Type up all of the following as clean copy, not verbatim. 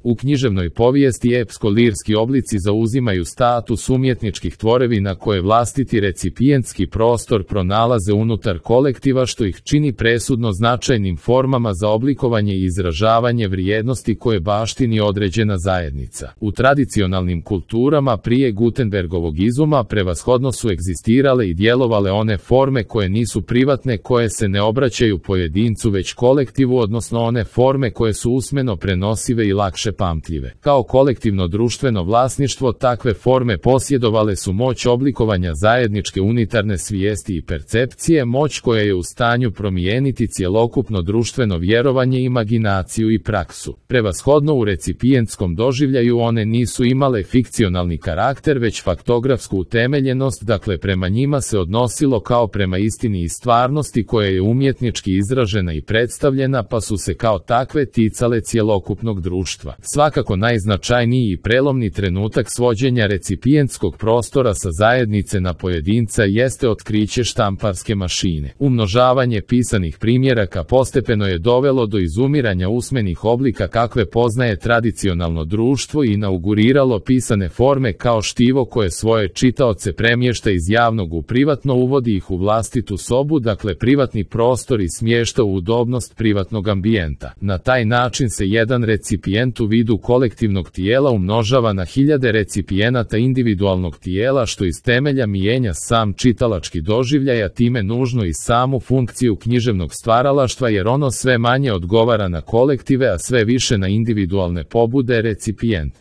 U književnoj povijesti epsko-lirski oblici zauzimaju status umjetničkih tvorevina koje vlastiti recipijentski prostor pronalaze unutar kolektiva što ih čini presudno značajnim formama za oblikovanje i izražavanje vrijednosti koje baštini određena zajednica. U tradicionalnim kulturama prije Gutenbergovog izuma prevashodno su egzistirale i djelovale one forme koje nisu privatne, koje se ne obraćaju pojedincu već kolektivu, odnosno one forme koje su usmeno prenosive i lakše pamtljive. Kao kolektivno društveno vlasništvo takve forme posjedovale su moć oblikovanja zajedničke unitarne svijesti i percepcije, moć koja je u stanju promijeniti cjelokupno društveno vjerovanje, imaginaciju i praksu. Prevashodno u recipijentskom doživljaju one nisu imale fikcionalni karakter već faktografsku utemeljenost, dakle prema njima se odnosilo kao prema istini i stvarnosti koja je umjetnički izražena i predstavljena, pa su se kao takve ticale cjelokupnog društva. Svakako najznačajniji i prelomni trenutak svođenja recipijentskog prostora sa zajednice na pojedinca jeste otkriće štamparske mašine. Umnožavanje pisanih primjeraka postepeno je dovelo do izumiranja usmenih oblika kakve poznaje tradicionalno društvo i inauguriralo pisane forme kao štivo koje svoje čitaoce premješta iz javnog u privatno, uvodi ih u vlastitu sobu, dakle privatni prostor, i smješta u udobnost privatnog ambijenta. Na taj način se jedan recipijent u vidu kolektivnog tijela umnožava na hiljade recipijenata individualnog tijela, što iz temelja mijenja sam čitalački doživljaj, a time nužno i samu funkciju književnog stvaralaštva, jer ono sve manje odgovara na kolektive, a sve više na individualne pobude recipijent.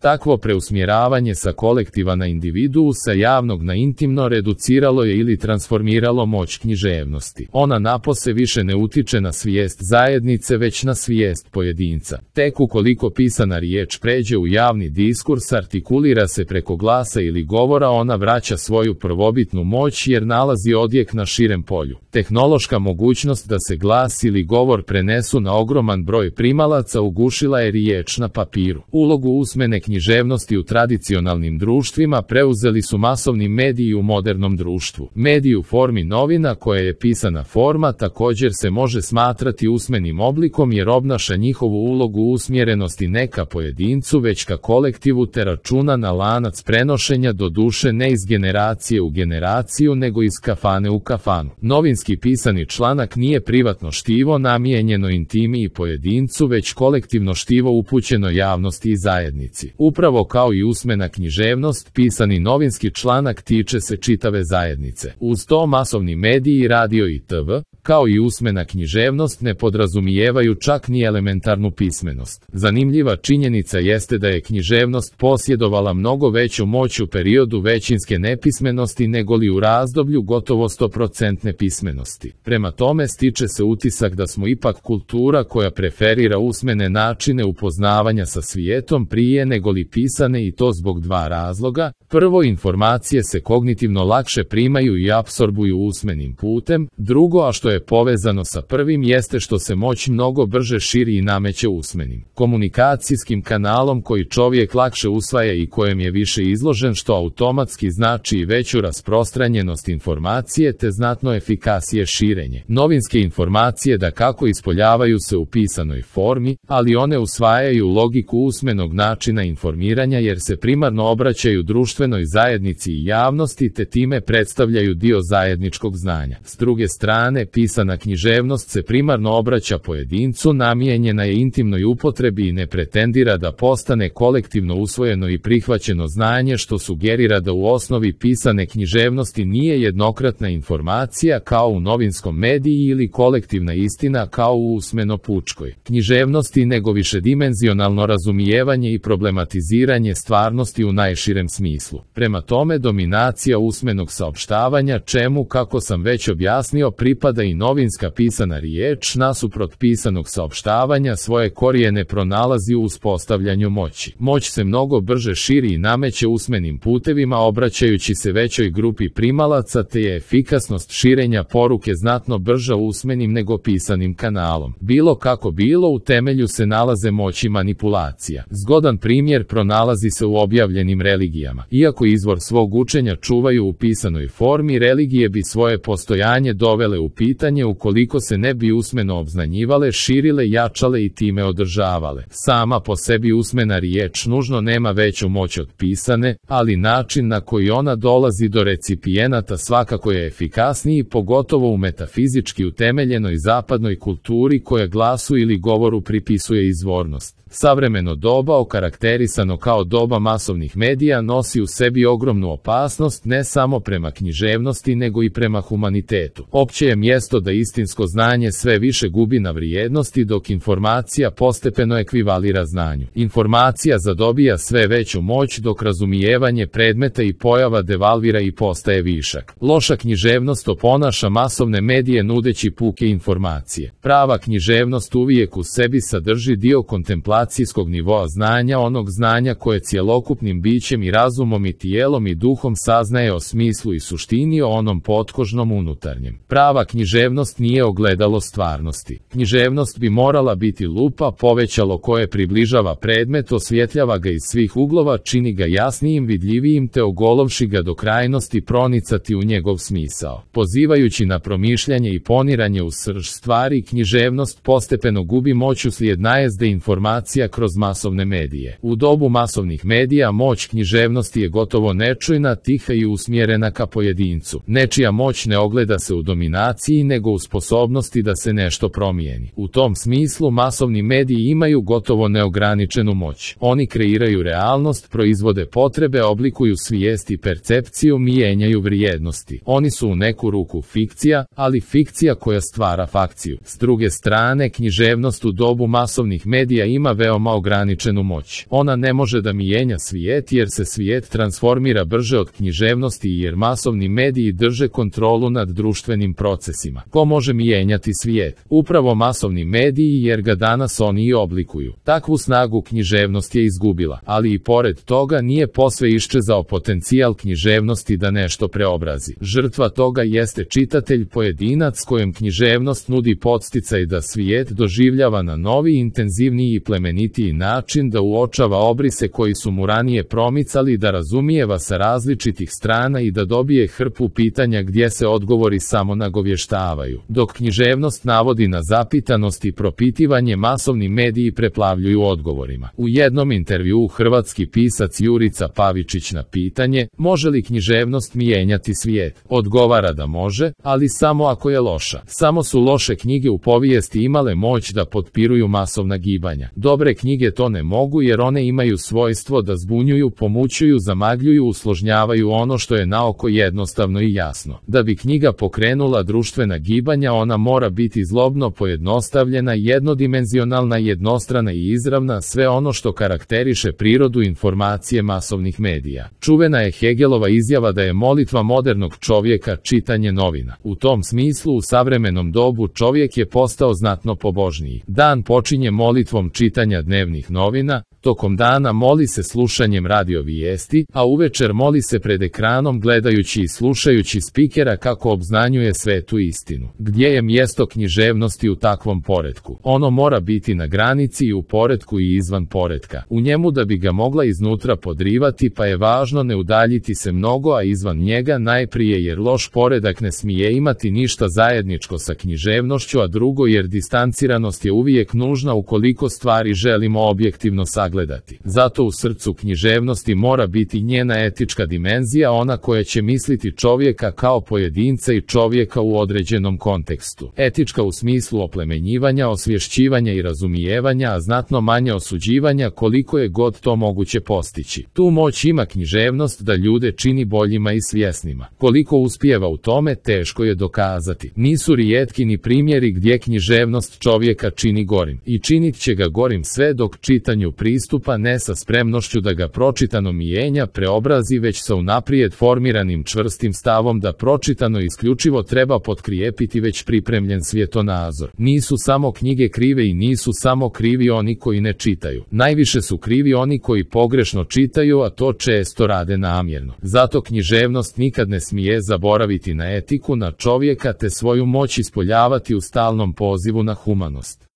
Takvo preusmjeravanje sa kolektiva na individuusa, javnog na intimno, reduciralo je ili transformiralo moć književnosti. Ona napose više ne utiče na svijest zajednice već na svijest pojedinca. Tek ukoliko pisana riječ pređe u javni diskurs, artikulira se preko glasa ili govora, ona vraća svoju prvobitnu moć jer nalazi odjek na širem polju. Tehnološka mogućnost da se glas ili govor prenesu na ogroman broj primalaca ugušila je riječ na papiru. Ulogu usmene književnosti u tradicionalnim društvima preuzeli su masovni mediji u modernom društvu. Medij u formi novina, koja je pisana forma, također se može smatrati usmenim oblikom jer obnaša njihovu ulogu usmjerenosti ne ka pojedincu već ka kolektivu te računa na lanac prenošenja, do duše ne iz generacije u generaciju nego iz kafane u kafanu. Novinski pisani članak nije privatno štivo namijenjeno intimi i pojedincu već kolektivno štivo upućeno javnosti i zajednici. Upravo kao i usmena književnost, pisani novinski članak tiče se čitave zajednice. Uz to masovni mediji, radio i TV, kao i usmena književnost, ne podrazumijevaju čak ni elementarnu pismenost. Zanimljiva činjenica jeste da je književnost posjedovala mnogo veću moć u periodu većinske nepismenosti negoli u razdoblju gotovo 100% pismenosti. Prema tome stiče se utisak da smo ipak kultura koja preferira usmene načine upoznavanja sa svijetom prije negoli pisane, i to zbog dva razloga. Prvo, informacije se kognitivno lakše primaju i apsorbuju usmenim putem. Drugo, a što je povezano sa prvim, jeste što se moć mnogo brže širi i nameće usmenim komunikacijskim kanalom koji čovjek lakše usvaja i kojem je više izložen, što automatski znači i veću rasprostranjenost informacije te znatno efikasnije širenje. Novinske informacije dakako ispoljavaju se u pisanoj formi, ali one usvajaju logiku usmenog načina informiranja jer se primarno obraćaju društvenoj zajednici i javnosti te time predstavljaju dio zajedničkog znanja. S druge strane, pisana književnost se primarno obraća pojedincu, namijenjena je intimnoj upotrebi i ne pretendira da postane kolektivno usvojeno i prihvaćeno znanje, što sugerira da u osnovi pisane književnosti nije jednokratna informacija kao u novinskom mediji ili kolektivna istina kao u usmeno-pučkoj književnosti, nego višedimenzionalno razumijevanje i problematiziranje stvarnosti u najširem smislu. Prema tome, dominacija usmenog saopštavanja, čemu, kako sam već objasnio, pripada i novinska pisana riječ, nasuprot pisanog saopštavanja svoje korijene pronalazi u uspostavljanju moći. Moć se mnogo brže širi i nameće usmenim putevima obraćajući se većoj grupi primalaca, te je efikasnost širenja poruke znatno brža usmenim nego pisanim kanalom. Bilo kako bilo, u temelju se nalaze moći manipulacija. Zgodan primjer pronalazi se u objavljenim religijama. Iako izvor svog učenja čuvaju u pisanoj formi, religije bi svoje postojanje dovele u pitanje čitanje ukoliko se ne bi usmeno obznanjivale, širile, jačale i time održavale. Sama po sebi usmena riječ nužno nema veću moć od pisane, ali način na koji ona dolazi do recipijenata svakako je efikasniji, pogotovo u metafizički utemeljenoj zapadnoj kulturi koja glasu ili govoru pripisuje izvornost. Savremeno doba, okarakterisano kao doba masovnih medija, nosi u sebi ogromnu opasnost ne samo prema književnosti nego i prema humanitetu. Opće je mjesto da istinsko znanje sve više gubi na vrijednosti dok informacija postepeno ekvivalira znanju. Informacija zadobija sve veću moć dok razumijevanje predmeta i pojava devalvira i postaje višak. Loša književnost oponaša masovne medije nudeći puke informacije. Prava književnost uvijek u sebi sadrži dio kontemplacijskog nivoa znanja, onog znanja koje cjelokupnim bićem i razumom i tijelom i duhom saznaje o smislu i suštini, o onom potkožnom unutarnjem. Prava književnost nije ogledalo stvarnosti. Književnost bi morala biti lupa, povećalo koje približava predmet, osvjetljava ga iz svih uglova, čini ga jasnijim, vidljivijim te ogolovši ga do krajnosti pronicati u njegov smisao. Pozivajući na promišljanje i poniranje u srž stvari, književnost postepeno gubi moć uslijed najezde informacija kroz masovne medije. U dobu masovnih medija moć književnosti je gotovo nečujna, tiha i usmjerena ka pojedincu. Nečija moć ne ogleda se u dominaciji nego u sposobnosti da se nešto promijeni. U tom smislu masovni mediji imaju gotovo neograničenu moć. Oni kreiraju realnost, proizvode potrebe, oblikuju svijest i percepciju, mijenjaju vrijednosti. Oni su u neku ruku fikcija, ali fikcija koja stvara fakciju. S druge strane, književnost u dobu masovnih medija ima veoma ograničenu moć. Ona ne može da mijenja svijet jer se svijet transformira brže od književnosti i jer masovni mediji drže kontrolu nad društvenim procesima. Ko može mijenjati svijet? Upravo masovni mediji jer ga danas oni i oblikuju. Takvu snagu književnost je izgubila, ali i pored toga nije posve iščezao potencijal književnosti da nešto preobrazi. Žrtva toga jeste čitatelj, pojedinac kojem književnost nudi podsticaj da svijet doživljava na novi, intenzivniji i plemenitiji način, da uočava obrise koji su mu ranije promicali, da razumijeva sa različitih strana i da dobije hrpu pitanja gdje se odgovori samo nagovještavaju. Dok književnost navodi na zapitanost i propitivanje, masovni mediji preplavljuju odgovorima. U jednom intervjuu hrvatski pisac Jurica Pavičić na pitanje može li književnost mijenjati svijet odgovara da može, ali samo ako je loša. Samo su loše knjige u povijesti imale moć da potpiruju masovna gibanja. Dobre knjige to ne mogu jer one imaju svojstvo da zbunjuju, pomućuju, zamagljuju, usložnjavaju ono što je naoko jednostavno i jasno. Da bi knjiga pokrenula društvena gibanja, ona mora biti zlobno pojednostavljena, jednodimenzionalna, jednostrana i izravna, sve ono što karakteriše prirodu informacije masovnih medija. Čuvena je Hegelova izjava da je molitva modernog čovjeka čitanje novina. U tom smislu u savremenom dobu čovjek je postao znatno pobožniji. Dan počinje molitvom čitanja dnevnih novina, tokom dana moli se slušanjem radio vijesti, a uvečer moli se pred ekranom gledajući i slušajući spikera kako obznanjuje svetu istinu. Gdje je mjesto književnosti u takvom poretku? Ono mora biti na granici i u poretku i izvan poretka. U njemu da bi ga mogla iznutra podrivati, pa je važno ne udaljiti se mnogo, a izvan njega najprije jer loš poredak ne smije imati ništa zajedničko sa književnošću, a drugo jer distanciranost je uvijek nužna ukoliko stvari želimo objektivno sagledati. Zato u srcu književnosti mora biti njena etička dimenzija, ona koja će misliti čovjeka kao pojedinca i čovjeka u određenom kontekstu. Etička u smislu oplemenjivanja, osvješćivanja i razumijevanja, a znatno manje osuđivanja koliko je god to moguće postići. Tu moć ima književnost da ljude čini boljima i svjesnima. Koliko uspijeva u tome, teško je dokazati. Nisu rijetki ni primjeri gdje književnost čovjeka čini gorim. I činit će ga gorim sve dok čitanju pristupa ne sa spremnošću da ga pročitano mijenja, preobrazi, već sa unaprijed formiranim čvrstim stavom da pročitano isključivo treba potkrijepiti već pripremljen svjetonazor. Nisu samo knjige krive i nisu samo krivi oni koji ne čitaju. Najviše su krivi oni koji pogrešno čitaju, a to često rade namjerno. Zato književnost nikad ne smije zaboraviti na etiku, na čovjeka te svoju moć ispoljavati u stalnom pozivu na humanost.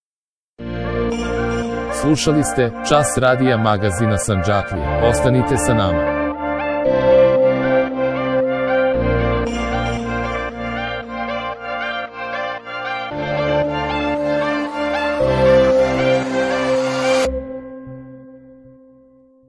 Slušali ste Čas radija magazina Sandžaklije. Ostanite sa nama.